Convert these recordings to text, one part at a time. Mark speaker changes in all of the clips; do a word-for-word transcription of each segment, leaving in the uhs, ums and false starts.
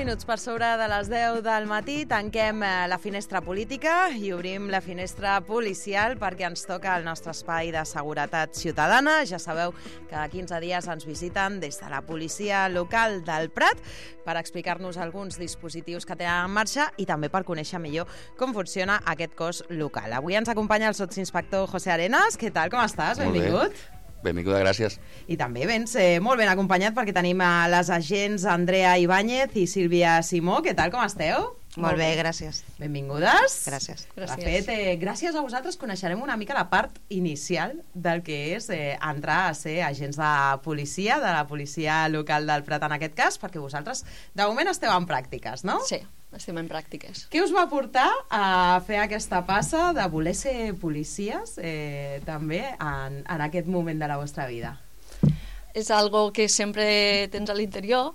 Speaker 1: minuts per sobre de les deu del matí tanquem la finestra política i obrim la finestra policial perquè ens toca el nostre espai de seguretat ciutadana. Ja sabeu que cada quinze dies ens visiten des de la policia local del Prat per explicar-nos alguns dispositius que tenen en marxa i també per conèixer millor com funciona aquest cos local. Avui ens acompanya el sotsinspector José Arenas. Què tal, com estàs?
Speaker 2: Molt
Speaker 1: Benvingut.
Speaker 2: Bé. Benvinguda, gràcies.
Speaker 1: I també vens eh, molt ben acompanyat perquè tenim a les agents Andrea Ibáñez i Sílvia Simó. Què tal, com esteu?
Speaker 3: Molt bé, gràcies.
Speaker 1: Benvingudes.
Speaker 3: Gràcies.
Speaker 1: De fet, eh, gràcies a vosaltres coneixerem una mica la part inicial del que és eh, entrar a ser agents de policia, de la policia local del Prat en aquest cas, perquè vosaltres de moment esteu en pràctiques, no?
Speaker 4: Sí, estem en pràctiques.
Speaker 1: Què us va portar a fer aquesta passa de voler ser policies eh, també en, en aquest moment de la vostra vida?
Speaker 4: És algo que sempre tens a l'interior,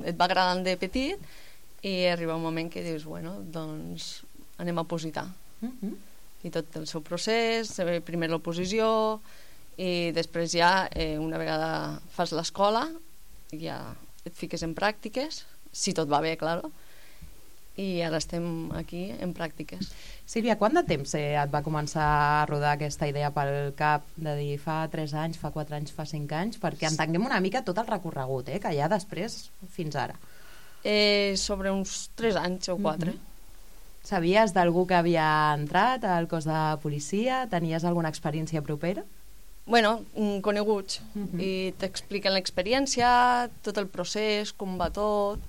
Speaker 4: et va agradant de petit, i arriba un moment que dius, bueno, doncs anem a opositar.
Speaker 1: Uh-huh.
Speaker 4: I tot el seu procés, primer l'oposició, i després ja, eh, una vegada fas l'escola, ja et fiques en pràctiques, si tot va bé, claro, i ara estem aquí en pràctiques.
Speaker 1: Sílvia, quant de temps eh, et va començar a rodar aquesta idea pel cap de dir fa tres anys, fa quatre anys, fa cinc anys, perquè entenguem una mica tot el recorregut eh, que hi ha després fins ara?
Speaker 4: Eh, sobre uns tres anys o quatre.
Speaker 1: Uh-huh. Sabies d'algú que havia entrat al cos de policia? Tenies alguna experiència propera?
Speaker 4: Bueno, coneguts.
Speaker 1: Uh-huh.
Speaker 4: I t'expliquen l'experiència, tot el procés, com va tot,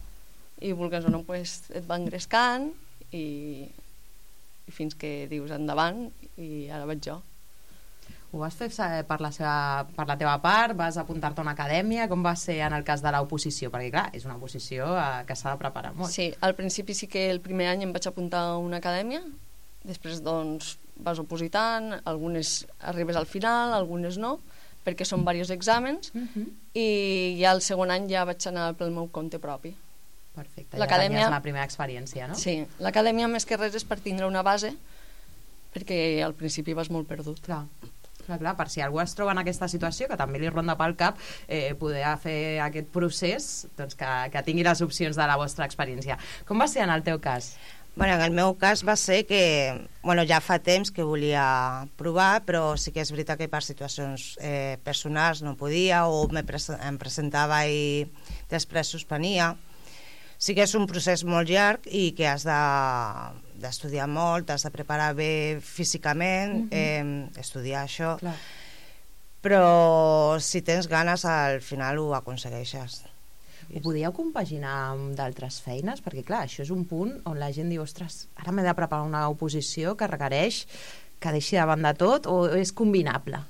Speaker 4: i vulgues o no, pues, et va engrescant i, i fins que dius endavant i ara vaig jo.
Speaker 1: Ho vas fer per la, seva, per la teva part? Vas apuntar-te a una acadèmia? Com va ser en el cas de l'oposició? Perquè clar, és una oposició eh, que s'ha de preparar molt.
Speaker 4: Sí, al principi sí que el primer any em vaig apuntar a una acadèmia, després doncs vas opositant, algunes arribes al final, algunes no, perquè són diversos exàmens,
Speaker 1: uh-huh.
Speaker 4: i ja el segon any ja vaig anar pel meu compte propi.
Speaker 1: Perfecte, ja tenies la primera experiència, no?
Speaker 4: Sí, l'acadèmia més que res és per tindre una base, perquè al principi vas molt perdut.
Speaker 1: Clar. Clar, clar, per si algú es troba en aquesta situació, que també li ronda pel cap eh, poder fer aquest procés, doncs que, que tingui les opcions de la vostra experiència. Com va ser en el teu cas?
Speaker 3: Bueno, en el meu cas va ser que bueno, ja fa temps que volia provar, però sí que és veritat que per situacions eh, personals no podia o me pres em presentava i després suspenia. Sí que és un procés molt llarg i que has de d'estudiar molt, has de preparar bé físicament, uh-huh. eh, estudiar això.
Speaker 1: Clar.
Speaker 3: Però si tens ganes al final ho aconsegueixes.
Speaker 1: Ho podíeu compaginar amb d'altres feines? Perquè clar, això és un punt on la gent diu, ostres, ara m'he de preparar una oposició que requereix que deixi de banda tot, o és combinable?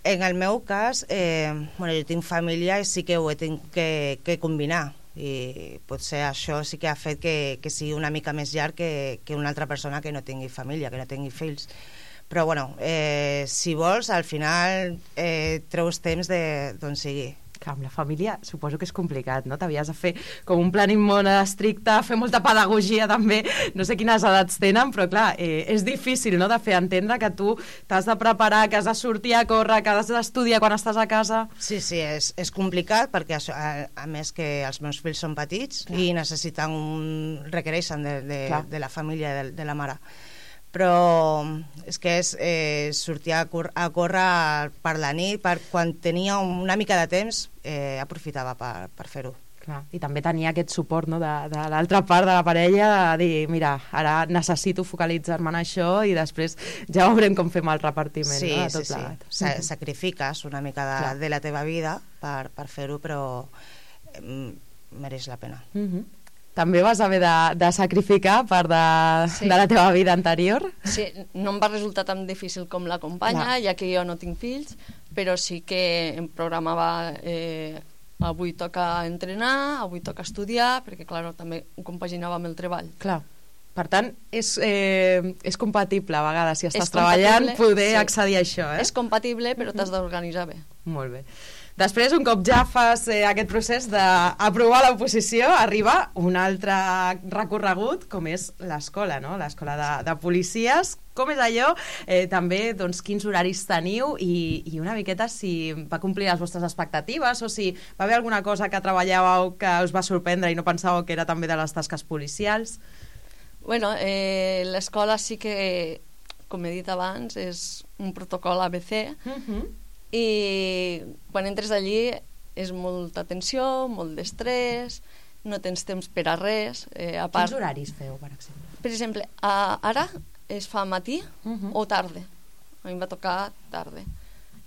Speaker 3: En el meu cas, eh, bueno, jo tinc família i sí que ho he tingut que, que combinar, i potser això sí que ha fet que, que sigui una mica més llarg que, que una altra persona que no tingui família, que no tingui fills. Però bueno, eh, si vols, al final eh, treus temps d'on sigui.
Speaker 1: Clar, amb la família suposo que és complicat, no? T'havies de fer com un planning molt estricte, fer molta pedagogia també, no sé quines edats tenen, però clar, eh, és difícil, no?, de fer entendre que tu t'has de preparar, que has de sortir a córrer, que has d'estudiar quan estàs a casa.
Speaker 3: Sí, sí, és, és complicat perquè això, a, a més que els meus fills són petits, clar, i necessiten un, requereixen de, de, de la família, de, de la mare. Però és que és eh, sortir a, cor a córrer per la nit, per quan tenia una mica de temps eh, aprofitava per, per fer-ho.
Speaker 1: Clar, i també tenia aquest suport, no?, de, de l'altra part de la parella, de dir, mira, ara necessito focalitzar-me en això i després ja veurem com fem el repartiment,
Speaker 3: sí,
Speaker 1: no?, de tot
Speaker 3: sí,
Speaker 1: plegat.
Speaker 3: Sí, Sa sacrifiques una mica de, de la teva vida per, per fer-ho, però eh, mereix la pena.
Speaker 1: Uh-huh. També vas haver de, de sacrificar part de, sí. de la teva vida anterior?
Speaker 4: Sí, no em va resultar tan difícil com la companya, ja que jo no tinc fills, però sí que em programava eh, avui toca entrenar, avui toca estudiar, perquè clar, també ho compaginava amb el treball.
Speaker 1: Clar. Per tant, és, eh, és compatible a vegades, si estàs treballant, poder sí. accedir a això. Eh?
Speaker 4: És compatible, però t'has d'organitzar bé.
Speaker 1: Molt bé. Després, un cop ja fas eh, aquest procés d'aprovar l'oposició, arriba un altre recorregut, com és l'escola, no? L'escola de, de policies. Com és allò? Eh, també, doncs, quins horaris teniu i, i una miqueta si va complir les vostres expectatives o si va haver alguna cosa que treballàveu que us va sorprendre i no pensàveu que era també de les tasques policials?
Speaker 4: Bueno, eh, l'escola sí que, com he dit abans, és un protocol A B C, uh-huh. i quan entres allí és molta tensió, molt d'estrès, no tens temps per a res. Eh, a part,
Speaker 1: quins horaris feu, per exemple?
Speaker 4: Per exemple, a, ara es fa matí
Speaker 1: uh-huh.
Speaker 4: o tarda. A mi em va tocar tarda.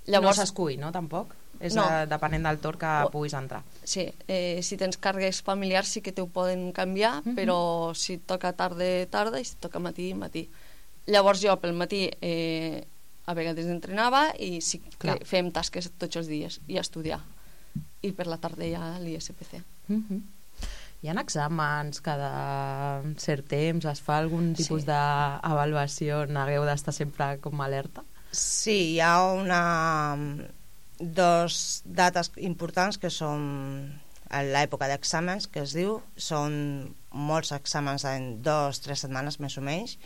Speaker 1: Llavors, no s'escull, no, tampoc? És
Speaker 4: no.
Speaker 1: a, depenent del torn que
Speaker 4: o,
Speaker 1: puguis entrar.
Speaker 4: Sí, eh, si tens càrregues familiars sí que t'ho poden canviar, uh-huh. però si et toca tarda, tarda, i si et toca matí, matí. Llavors jo pel matí eh, a vegades entrenava i sí que fèiem tasques tots els dies i estudiar. I per la tarda ja l'I S P C.
Speaker 1: Uh-huh. Hi ha exàmens cada cert temps? Es fa algun tipus sí. d'avaluació? N'hagueu d'estar sempre com alerta?
Speaker 3: Sí, hi ha una... dos dates importants que són l'època d'exàmens, que es diu. Són molts exàmens en dos o tres setmanes, més o menys,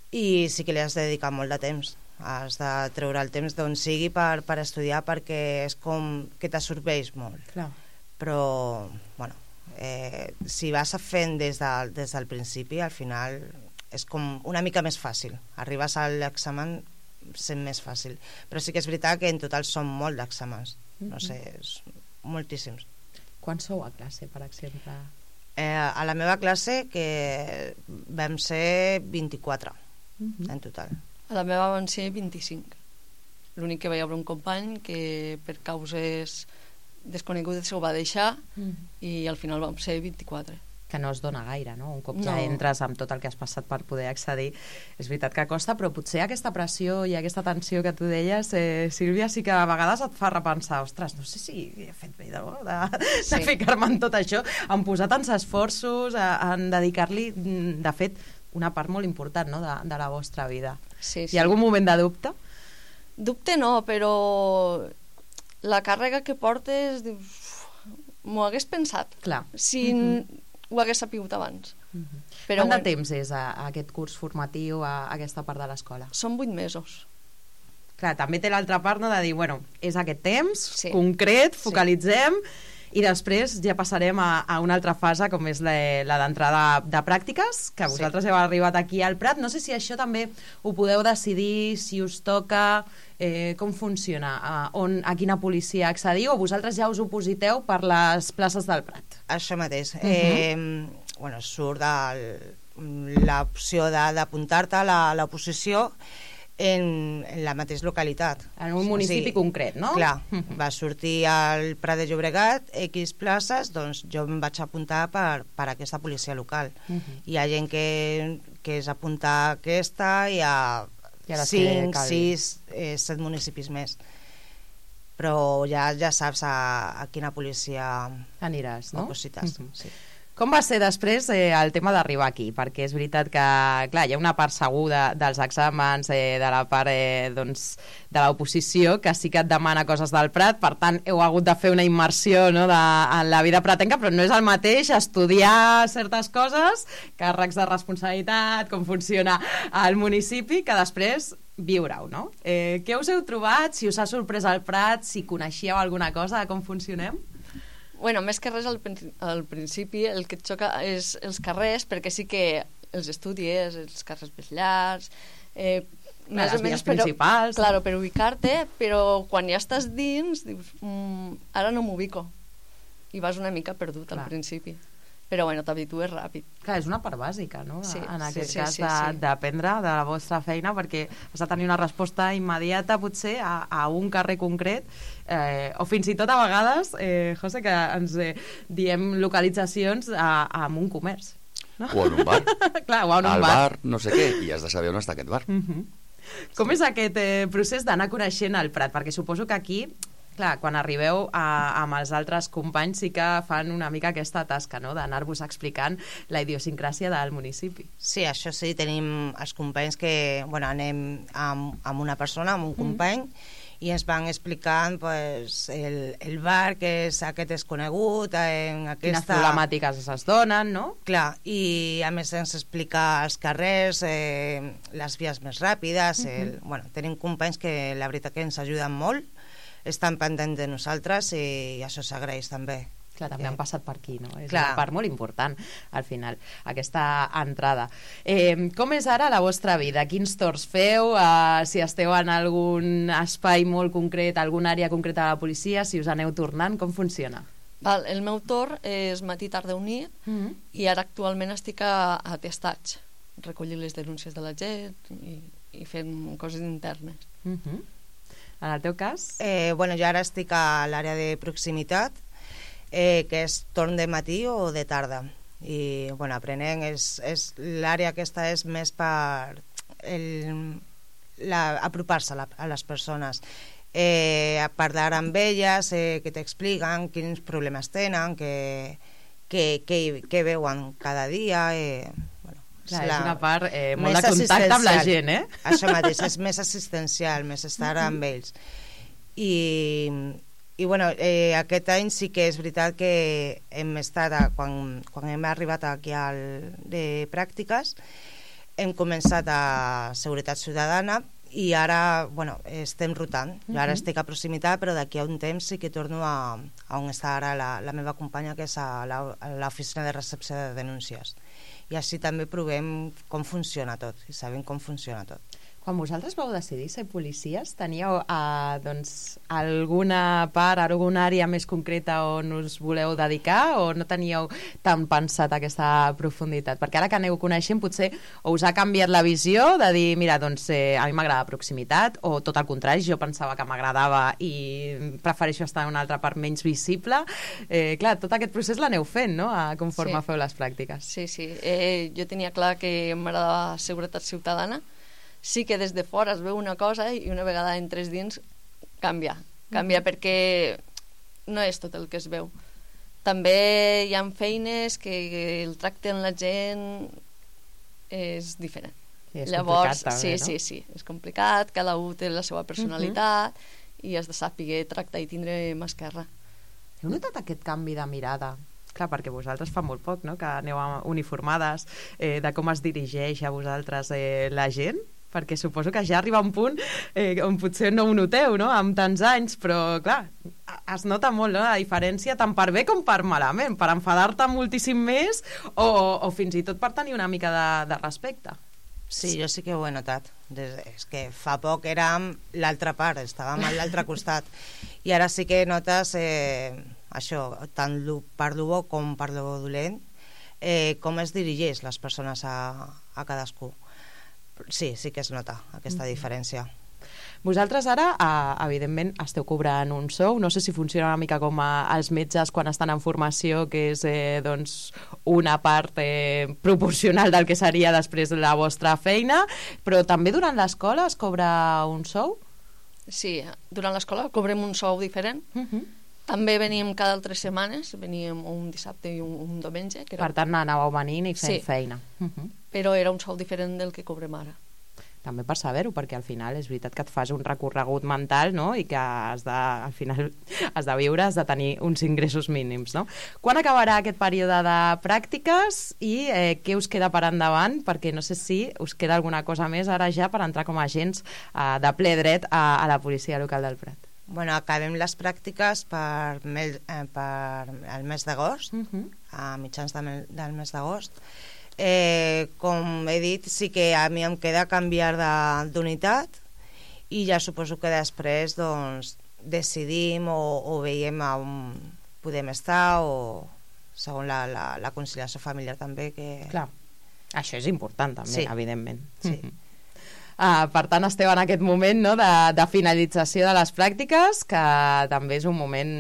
Speaker 3: i sí que li has de dedicar molt de temps. Has de treure el temps d'on sigui per, per estudiar, perquè és com que t'absorbeix molt.
Speaker 1: Clar.
Speaker 3: Però, bueno, eh, si vas fent des, de, des del principi, al final és com una mica més fàcil. Arribes a l'examen sent més fàcil. Però sí que és veritat que en total són molt d'exàmens. No sé, és moltíssims.
Speaker 1: Quants sou a classe, per exemple?
Speaker 3: Eh, a la meva classe que vam ser vint-i-quatre uh-huh. en total.
Speaker 4: A la meva van ser vint-i-cinc. L'únic que va haver un company que per causes desconegudes ho va deixar uh-huh. i al final vam ser vint-i-quatre.
Speaker 1: Que no es dona gaire, no? Un cop
Speaker 4: no.
Speaker 1: ja entres amb tot el que has passat per poder accedir, és veritat que costa, però potser aquesta pressió i aquesta tensió que tu deies, eh, Sílvia, sí que a vegades et fa repensar, ostres, no sé si he fet bé no? de, sí. de ficar-me en tot això, en posar tants esforços, en dedicar-li, de fet, una part molt important, no? de, de la vostra vida.
Speaker 4: Sí, sí.
Speaker 1: Hi ha algun moment de dubte?
Speaker 4: Dubte no, però la càrrega que portes, dius, m'ho hagués pensat.
Speaker 1: Clar.
Speaker 4: Si uh-huh. ho hagués sapigut abans.
Speaker 1: Uh-huh.
Speaker 4: Però
Speaker 1: Quant de
Speaker 4: bueno,
Speaker 1: temps és a, a aquest curs formatiu, a, a aquesta part de l'escola?
Speaker 4: Són vuit mesos.
Speaker 1: Clar, també té l'altra part, no?, de dir, bueno, és aquest temps,
Speaker 4: sí.
Speaker 1: concret, focalitzem, sí. i després ja passarem a, a una altra fase, com és la, la d'entrada de pràctiques, que vosaltres sí. heu arribat aquí al Prat. No sé si això també ho podeu decidir, si us toca, eh, com funciona, a, on, a quina policia accediu, o vosaltres ja us opositeu per les places del Prat?
Speaker 3: Això mateix. Uh-huh. eh, bueno, surt l'opció d'apuntar-te a l'oposició en, en la mateixa localitat.
Speaker 1: En un municipi o sigui, concret, no?
Speaker 3: Clar, uh-huh. va sortir al Prat de Llobregat X places, doncs jo em vaig apuntar per, per aquesta policia local. Uh-huh. Hi ha gent que, que és apuntar aquesta, hi ha cinc, sis, set municipis més. Però ja, ja saps a, a quina policia
Speaker 1: aniràs, no?
Speaker 3: Oposites,
Speaker 1: uh-huh.
Speaker 3: sí.
Speaker 1: Com va ser després eh, el tema d'arribar aquí? Perquè és veritat que, clar, hi ha una part segur de, dels exàmens, eh, de la part eh, doncs, de l'oposició, que sí que et demana coses del Prat, per tant, heu hagut de fer una immersió, no?, de, en la vida pratenca, però no és el mateix estudiar certes coses, càrrecs de responsabilitat, com funciona el municipi, que després viure-ho, no? Eh, què us heu trobat? Si us ha sorprès el Prat, si coneixíeu alguna cosa de com funcionem?
Speaker 4: Bueno, més que res al, al principi el que et xoca és els carrers, perquè sí que els estudies, els carrers més llargs, eh,
Speaker 1: Clar, més les vies principals.
Speaker 4: Claro, per ubicar-te, però quan ja estàs dins, dius, mm, ara no m'ubico. I vas una mica perdut Clar. Al principi. Però bueno, t'habitues ràpid.
Speaker 1: Clar, és una part bàsica, no?
Speaker 4: Sí,
Speaker 1: en aquest
Speaker 4: sí,
Speaker 1: cas
Speaker 4: sí,
Speaker 1: de,
Speaker 4: sí.
Speaker 1: d'aprendre de la vostra feina, perquè has de tenir una resposta immediata, potser, a, a un carrer concret, eh, o fins i tot a vegades, eh, José, que ens eh, diem localitzacions a, a un comerç. No?
Speaker 2: O en un bar.
Speaker 1: Clar, o en un
Speaker 2: Al
Speaker 1: bar.
Speaker 2: bar, no sé què, i has de saber on està aquest bar.
Speaker 1: Uh-huh. Com sí. és aquest eh, procés d'anar coneixent el Prat? Perquè suposo que aquí, clar, quan arribeu a, amb els altres companys sí que fan una mica aquesta tasca, no?, d'anar-vos explicant la idiosincràsia del municipi.
Speaker 3: Sí, això sí, tenim els companys que, bueno, anem amb, amb una persona, amb un company, mm. i ens van explicant pues, el, el bar, que és aquest desconegut, en aquesta...
Speaker 1: Quines problemàtiques es donen, no?
Speaker 3: Clar, i a més ens explica els carrers, eh, les vies més ràpides, el... uh-huh. bueno, tenim companys que la veritat que ens ajuden molt, estan pendents de nosaltres i això s'agraeix també.
Speaker 1: Clar, també eh, han passat per aquí, no? És
Speaker 3: clar.
Speaker 1: Una part molt important, al final, aquesta entrada. Eh, com és ara la vostra vida? Quins torns feu? Eh, si esteu en algun espai molt concret, alguna àrea concreta de la policia, si us aneu tornant, com funciona?
Speaker 4: Val, el meu torn és matí, tarda o nit, mm-hmm. i ara actualment estic a, a testats, recollir les denúncies de la gent i, i fent coses internes.
Speaker 1: Mm-hmm. En el teu cas?
Speaker 3: Eh, bueno, jo ara estic a l'àrea de proximitat, Eh, que és torn de matí o de tarda, i bueno, aprenent és, és l'àrea aquesta és més per el, la, apropar-se a, la, a les persones, eh, a parlar amb elles, eh, que t'expliquen quins problemes tenen, que, que, que, que veuen cada dia. eh, bueno,
Speaker 1: Clar,
Speaker 3: és, la,
Speaker 1: és una part eh, molt de contacte amb la gent, eh?
Speaker 3: Això mateix, és més assistencial, més estar amb ells. I, i bueno, eh, aquest any sí que és veritat que hem estat, a, quan, quan hem arribat aquí al, de pràctiques, hem començat a Seguretat Ciutadana i ara, bueno, estem rotant. Jo ara estic a proximitat, però d'aquí a un temps sí que torno a, a on està ara la, la meva companya, que és a l'oficina de recepció de denúncies. I així també provem com funciona tot, i sabem com funciona tot.
Speaker 1: Quan vosaltres vau decidir ser policies, teníeu eh, doncs, alguna part, alguna àrea més concreta on us voleu dedicar, o no teníeu tan pensat aquesta profunditat? Perquè ara que aneu coneixent, potser o us ha canviat la visió de dir, mira, doncs eh, a mi m'agrada proximitat, o tot el contrari, jo pensava que m'agradava i prefereixo estar en una altra part menys visible. Eh, clar, tot aquest procés l'aneu fent, no?, a, conforme
Speaker 4: sí.
Speaker 1: feu les pràctiques.
Speaker 4: Sí, sí. Eh, jo tenia clar que m'agradava Seguretat Ciutadana. Sí que des de fora es veu una cosa i una vegada entres dins canvia. Canvia mm-hmm. perquè no és tot el que es veu. També hi ha feines que el tracte amb la gent és diferent.
Speaker 1: Sí, és
Speaker 4: Llavors,
Speaker 1: complicat també,
Speaker 4: sí,
Speaker 1: no?
Speaker 4: sí, sí, és complicat, cada un té la seva personalitat mm-hmm. i has de saber tractar i tindre mà esquerra.
Speaker 1: Heu notat aquest canvi de mirada? Clar, perquè vosaltres fa molt poc, no?, que aneu uniformades, eh, de com es dirigeix a vosaltres eh, la gent, perquè suposo que ja arriba un punt eh, on potser no ho noteu, no?, amb tants anys, però clar, es nota molt, no?, la diferència tant per bé com per malament, per enfadar-te moltíssim més o, o fins i tot per tenir una mica de, de respecte.
Speaker 3: Sí, jo sí que ho he notat. Des, és que fa poc érem l'altra part, estàvem a l'altre costat, i ara sí que notes eh, això, tant lo, per lo bo com per lo dolent, eh, com es dirigeix les persones a, a cadascú. Sí, sí que es nota aquesta diferència.
Speaker 1: Vosaltres ara, eh, evidentment, esteu cobrant un sou. No sé si funciona una mica com a, els metges quan estan en formació, que és eh, doncs, una part eh, proporcional del que seria després la vostra feina, però també durant l'escola es cobra un sou?
Speaker 4: Sí, durant l'escola cobrem un sou diferent. Uh-huh. També veníem cada altres setmanes, veníem un dissabte i un, un diumenge. Que era...
Speaker 1: Per tant, anàveu venint i fent
Speaker 4: sí.
Speaker 1: feina. Uh-huh.
Speaker 4: Però era un sou diferent del que cobrem ara.
Speaker 1: També per saber-ho, perquè al final és veritat que et fas un recorregut mental, no?, i que has de, al final has de viure, has de tenir uns ingressos mínims, no? Quan acabarà aquest període de pràctiques i eh, què us queda per endavant? Perquè no sé si us queda alguna cosa més ara ja per entrar com a agents eh, de ple dret a, a la policia local del Prat.
Speaker 3: Bueno, acabem les pràctiques per, mel, eh, per el mes d'agost, uh-huh. a mitjans de mel, del mes d'agost. Eh, com he dit, sí que a mi em queda canviar d'unitat i ja suposo que després doncs, decidim o, o veiem on podem estar, o segons la, la, la conciliació familiar també. Que...
Speaker 1: Clar, això és important també, sí. evidentment.
Speaker 3: Sí.
Speaker 1: Uh, per tant, esteu en aquest moment, no?, de, de finalització de les pràctiques, que també és un moment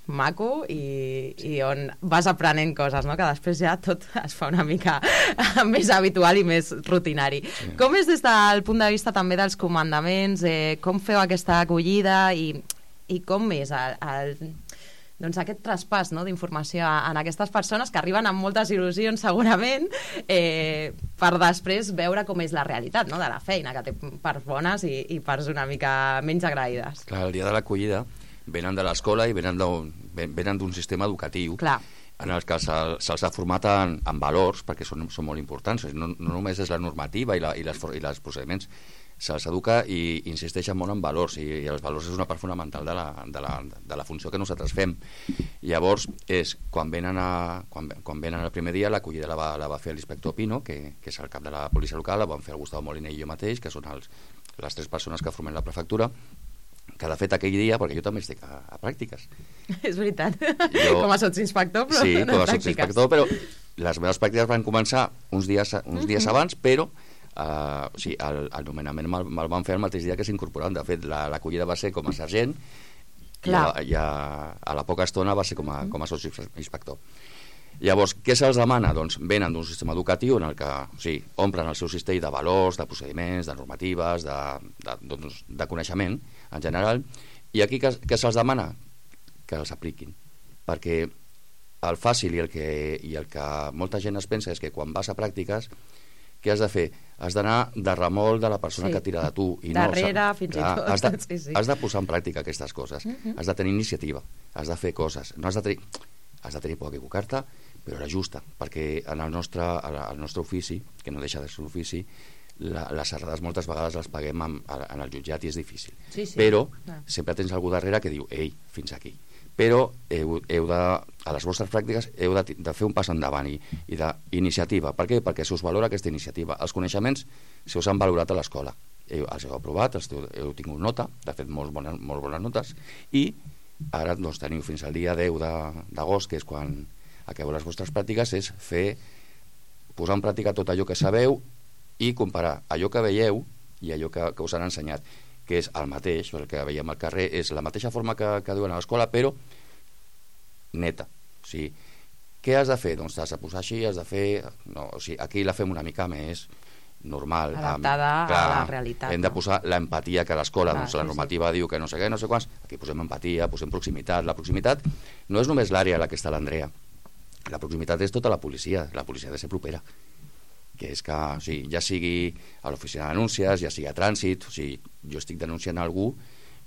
Speaker 1: maco i, i on vas aprenent coses, no?, que després ja tot es fa una mica més habitual i més rutinari. Sí. Com és des del punt de vista també dels comandaments? Eh, com feu aquesta acollida i, i com és el, el, doncs, aquest traspàs, no?, d'informació en aquestes persones que arriben amb moltes il·lusions segurament, eh, per després veure com és la realitat, no?, de la feina, que té parts bones i, i parts una mica menys agraïdes.
Speaker 2: Clar, el dia de l'acollida venen de l'escola i venen d'un venen d'un sistema educatiu.
Speaker 1: Clar.
Speaker 2: En el que se'ls se ha format en, en valors, perquè són, són molt importants. No, no només és la normativa i, la, i, les, i les procediments, se'ls educa i insisteixen molt en valors, i, i els valors és una part fonamental de la, de la, de la funció que nosaltres fem. Llavors, és, quan venen, a, quan, quan venen el primer dia, l'acollida la, va, la va fer l'inspector Pino, que, que és el cap de la policia local, la van fer el Gustavo Moliner i jo mateix, que són els, les tres persones que formen la prefectura, que de fet aquell dia, perquè jo també estic a, a pràctiques.
Speaker 1: És veritat.
Speaker 2: Jo,
Speaker 1: com a sotsinspector, però
Speaker 2: sí,
Speaker 1: no
Speaker 2: com a
Speaker 1: pràctiques.
Speaker 2: sotsinspector, però les meves pràctiques van començar uns dies, uns dies uh -huh. abans, però uh, o sigui, el, el nomenament me'l, me'l van fer el mateix dia que s'incorporaven. De fet, l'acollida va ser com a sergent i, a, i a, a la poca estona va ser com a, com a sotsinspector. Llavors, què se'ls demana? Doncs venen d'un sistema educatiu en el que o sigui, omplen el seu cistell de valors, de procediments, de normatives, de, de, doncs, de coneixement en general, i aquí què, què se'ls demana? Que els apliquin, perquè el fàcil i el, que, i el que molta gent es pensa és que quan vas a pràctiques, què has de fer? Has d'anar de remol de la persona sí. que tira de tu. I
Speaker 1: darrere,
Speaker 2: no,
Speaker 1: fins
Speaker 2: clar,
Speaker 1: i tot.
Speaker 2: Has de,
Speaker 1: sí, sí.
Speaker 2: has de posar en pràctica aquestes coses. Uh -huh. Has de tenir iniciativa, has de fer coses. No has de tenir, has de tenir por a equivocar-te, però era justa, perquè en el nostre, el nostre ofici, que no deixa de ser ofici, la, les errades moltes vegades les paguem en, en el jutjat i és difícil.
Speaker 1: Sí, sí.
Speaker 2: Però
Speaker 1: ah.
Speaker 2: sempre tens algú darrere que diu, ei, fins aquí. Però heu, heu de, a les vostres pràctiques heu de, de fer un pas endavant i, i d'iniciativa. Per què? Perquè se us valora aquesta iniciativa. Els coneixements se us han valorat a l'escola. Heu, els heu aprovat, els heu, heu tingut nota, de fet molt bones, molt bones notes, i ara doncs, teniu fins al dia deu d'agost, que és quan acabeu les vostres pràctiques, és fer, posar en pràctica tot allò que sabeu i comparar allò que veieu i allò que, que us han ensenyat, que és el mateix, el que veiem al carrer, és la mateixa forma que, que diuen a l'escola, però neta. O sigui, què has de fer? Doncs t'has de posar així, has de fer... No, o sigui, aquí la fem una mica més normal.
Speaker 1: Adaptada
Speaker 2: amb, clar,
Speaker 1: a la realitat.
Speaker 2: Hem de posar l'empatia que a l'escola, doncs
Speaker 1: sí,
Speaker 2: la normativa sí. diu que no sé què, no sé quants, aquí posem empatia, posem proximitat. La proximitat no és només l'àrea a la que està l'Andrea. La proximitat és tota la policia, la policia ha de ser propera, que és que, o sigui, ja sigui a l'oficina de denúncies, ja sigui a trànsit, o sigui, jo estic denunciant algú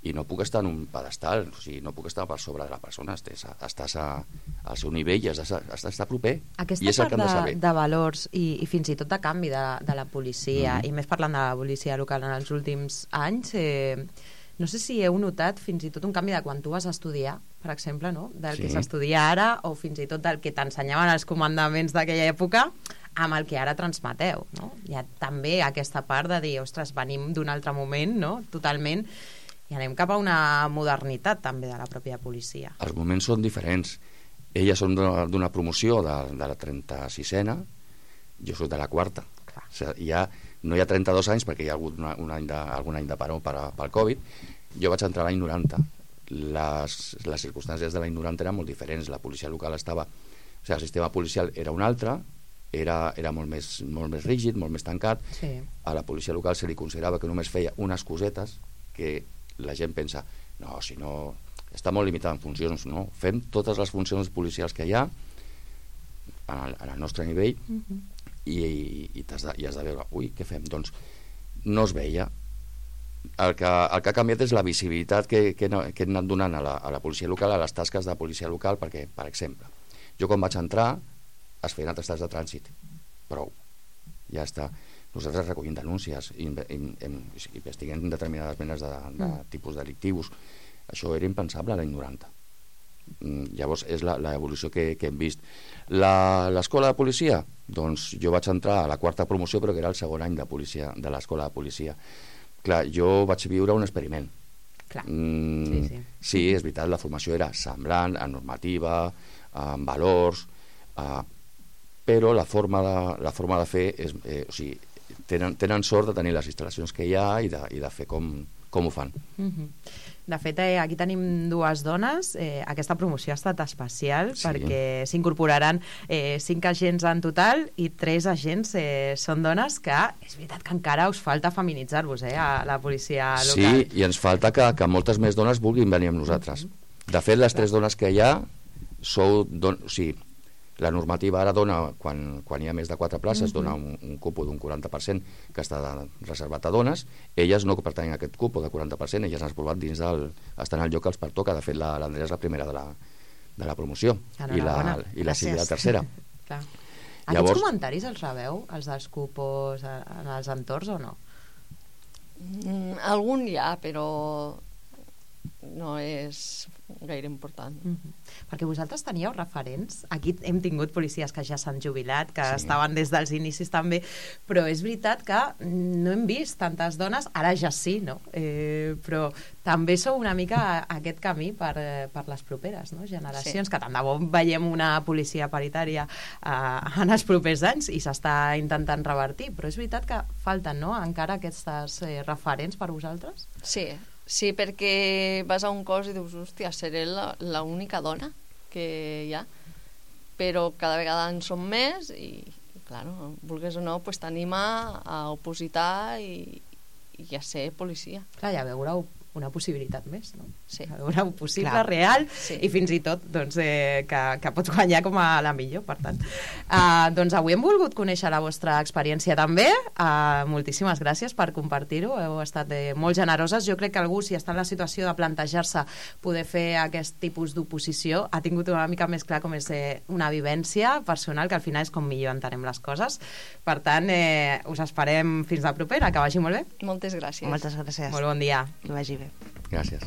Speaker 2: i no puc estar en un pedestal, o sigui, no puc estar per sobre de la persona, estàs, estàs a, al seu nivell i has d'estar proper.
Speaker 1: Aquesta
Speaker 2: I és el
Speaker 1: part
Speaker 2: que han de,
Speaker 1: de, de valors i, i fins i tot de canvi de, de la policia, mm -hmm. i més parlant de la policia local en els últims anys, eh, no sé si heu notat fins i tot un canvi de quan tu vas a estudiar, per exemple, no? Del sí. que s'estudia ara, o fins i tot del que t'ensenyaven els comandaments d'aquella època, amb el que ara transmeteu, no? Hi ha també aquesta part de dir, ostres, venim d'un altre moment, no? Totalment, i anem cap a una modernitat també de la pròpia policia.
Speaker 2: Els moments són diferents. Elles són d'una promoció de, de la trenta-sisena, jo soc de la quarta. Clar. O sigui, hi ha, no hi ha trenta-dos anys perquè hi ha hagut una, un any de, algun any de paró per, pel Covid. Jo vaig entrar l'any noranta. Les, les circumstàncies de l'any noranta eren molt diferents. La policia local estava... O sigui, el sistema policial era un altre, era, era molt, més, molt més rígid, molt més tancat.
Speaker 1: Sí.
Speaker 2: A la policia local se li considerava que només feia unes cosetes que la gent pensa, no, si no... Està molt limitat en funcions, no? Fem totes les funcions policials que hi ha en el, en el nostre nivell uh-huh. i, i, i, has de, i has de veure, ui, què fem? Doncs no es veia. El que, el que ha canviat és la visibilitat que, que, que hem anat donant a la, a la policia local, a les tasques de policia local, perquè, per exemple, jo quan vaig entrar es feien atestats de trànsit, prou, ja està. Nosaltres recollim denúncies i investiguem determinades menes de, de mm. tipus delictius. Això era impensable l'any noranta. Llavors és l'evolució que, que hem vist. L'escola de policia? Doncs jo vaig entrar a la quarta promoció, però que era el segon any de, policia, de l'escola de policia. Clar, jo vaig viure un experiment.
Speaker 1: Clar.
Speaker 2: Mm,
Speaker 1: sí, sí.
Speaker 2: sí, és veritat, la formació era semblant, en normativa, en valors, eh, però la forma de, la forma de fer és, eh, o sigui, tenen, tenen sort de tenir les instal·lacions que hi ha i de, i de fer com, com ho fan.
Speaker 1: Mm-hmm. De fet, eh, aquí tenim dues dones. Eh, aquesta promoció ha estat especial sí. perquè s'incorporaran eh, cinc agents en total i tres agents eh, són dones que és veritat que encara us falta feminitzar-vos eh, a la policia local.
Speaker 2: Sí, i ens falta que, que moltes més dones vulguin venir amb nosaltres. Mm-hmm. De fet, les tres dones que hi ha sou... Don... O sigui, la normativa ara dona, quan, quan hi ha més de quatre places, uh-huh. dona un, un cupo d'un quaranta per cent que està reservat a dones. Elles no pertanyen a aquest cupo de quaranta per cent, elles han provat dins del... estan al lloc que els pertoca. De fet, l'Andrea és la primera de la, de la promoció i la, i la Sílvia la tercera.
Speaker 1: Clar. Aquests Llavors... comentaris els rebeu, els dels cupos en els entorns o no?
Speaker 4: Mm, algun hi ha, però no és gaire important.
Speaker 1: Mm-hmm. Perquè vosaltres teníeu referents, aquí hem tingut policies que ja s'han jubilat, que sí. estaven des dels inicis també, però és veritat que no hem vist tantes dones, ara ja sí, no? Eh, però també sou una mica a aquest camí per, per les properes, no? Generacions, sí. que tant de bo veiem una policia paritària eh, en els propers anys i s'està intentant revertir, però és veritat que falten, no?, encara aquestes eh, referents per vosaltres?
Speaker 4: Sí, Sí, perquè vas a un cos i dius, hòstia, seré l'única dona que hi ha, però cada vegada en som més i, i clar, vulguis o no, pues, t'anima a opositar i, i a ser policia.
Speaker 1: Clar, ja veureu una possibilitat més, no?
Speaker 4: Sí.
Speaker 1: Una possible,
Speaker 4: Clar.
Speaker 1: real,
Speaker 4: sí.
Speaker 1: i fins i tot doncs, eh, que, que pots guanyar com a la millor, per tant. Uh, doncs avui hem volgut conèixer la vostra experiència també. Uh, moltíssimes gràcies per compartir-ho, heu estat eh, molt generoses. Jo crec que algú, si està en la situació de plantejar-se poder fer aquest tipus d'oposició, ha tingut una mica més clar com és eh, una vivència personal, que al final és com millor entenem les coses. Per tant, eh, us esperem fins la propera, que vagi molt bé.
Speaker 4: Moltes gràcies.
Speaker 3: Moltes gràcies.
Speaker 1: Molt bon dia.
Speaker 3: Que vagi bé.
Speaker 2: Gràcies.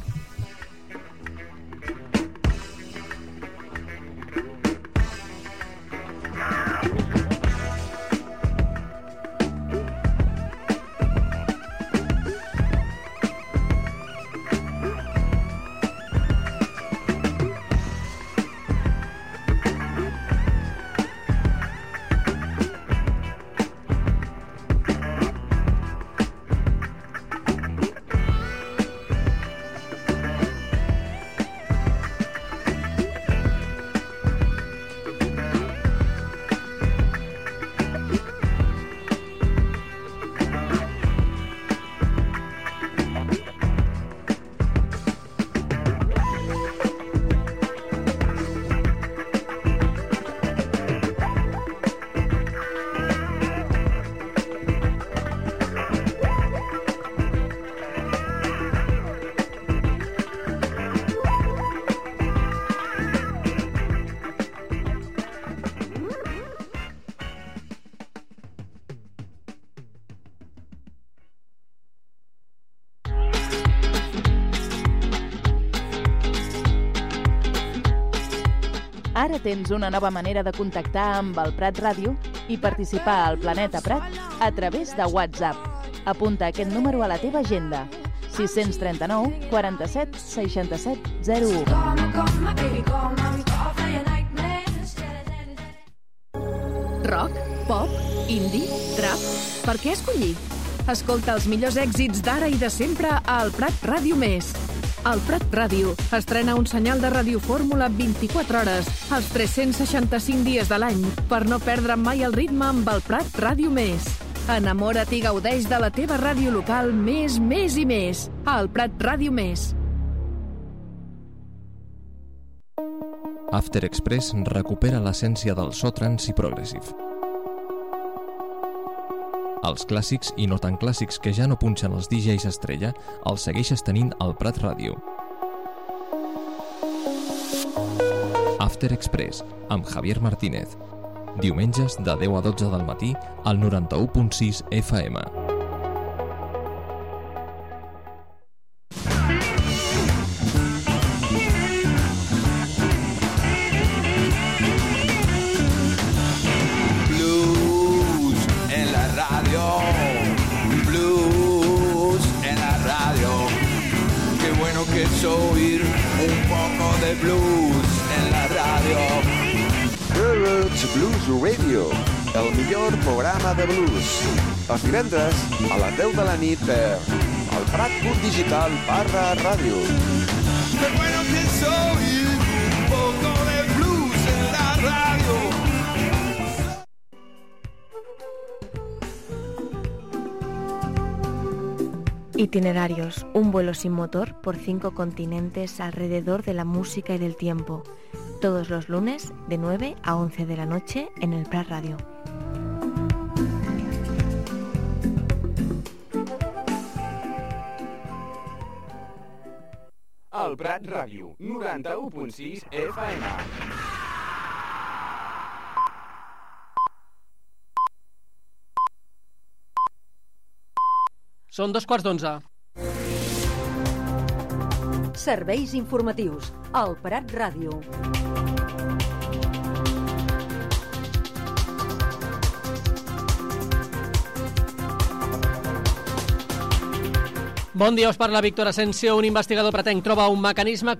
Speaker 5: Ara tens una nova manera de contactar amb el Prat Ràdio i participar al Planeta Prat a través de WhatsApp. Apunta aquest número a la teva agenda. sis tres nou, quaranta-set, seixanta-set, zero u.
Speaker 6: Rock, pop, indie, trap... Per què escollir? Escolta els millors èxits d'ara i de sempre al Prat Ràdio Més. El Prat Ràdio estrena un senyal de radiofórmula vint-i-quatre hores, els tres-cents seixanta-cinc dies de l'any, per no perdre mai el ritme amb el Prat Ràdio Més. Enamora't i gaudeix de la teva ràdio local més, més i més. El Prat Ràdio Més.
Speaker 7: After Express recupera l'essència del so trance i progressive. Els clàssics i no tan clàssics que ja no punxen els D Js estrella els segueixes tenint al Prat Ràdio. After Express, amb Javier Martínez. Diumenges de deu a dotze del matí al noranta-u punt sis F M.
Speaker 8: Oír un poco de blues en la radio.
Speaker 9: Roots Blues Radio, el millor programa de blues. Els divendres a les deu de la nit per el Prat Club Digital barra ràdio.
Speaker 8: Qué bueno que es oír un poco de blues en la radio.
Speaker 10: Itinerarios, un vuelo sin motor por cinco continentes alrededor de la música y del tiempo. Todos los lunes de nueve a once de la noche en el Prat Radio.
Speaker 11: El Prat Ràdio, noranta-u punt sis F M.
Speaker 12: Són dos quarts d'onze.
Speaker 13: Serveis informatius. El Prat Ràdio.
Speaker 12: Bon dia, us parla Víctor Asensio. Un investigador pretenc trobar un mecanisme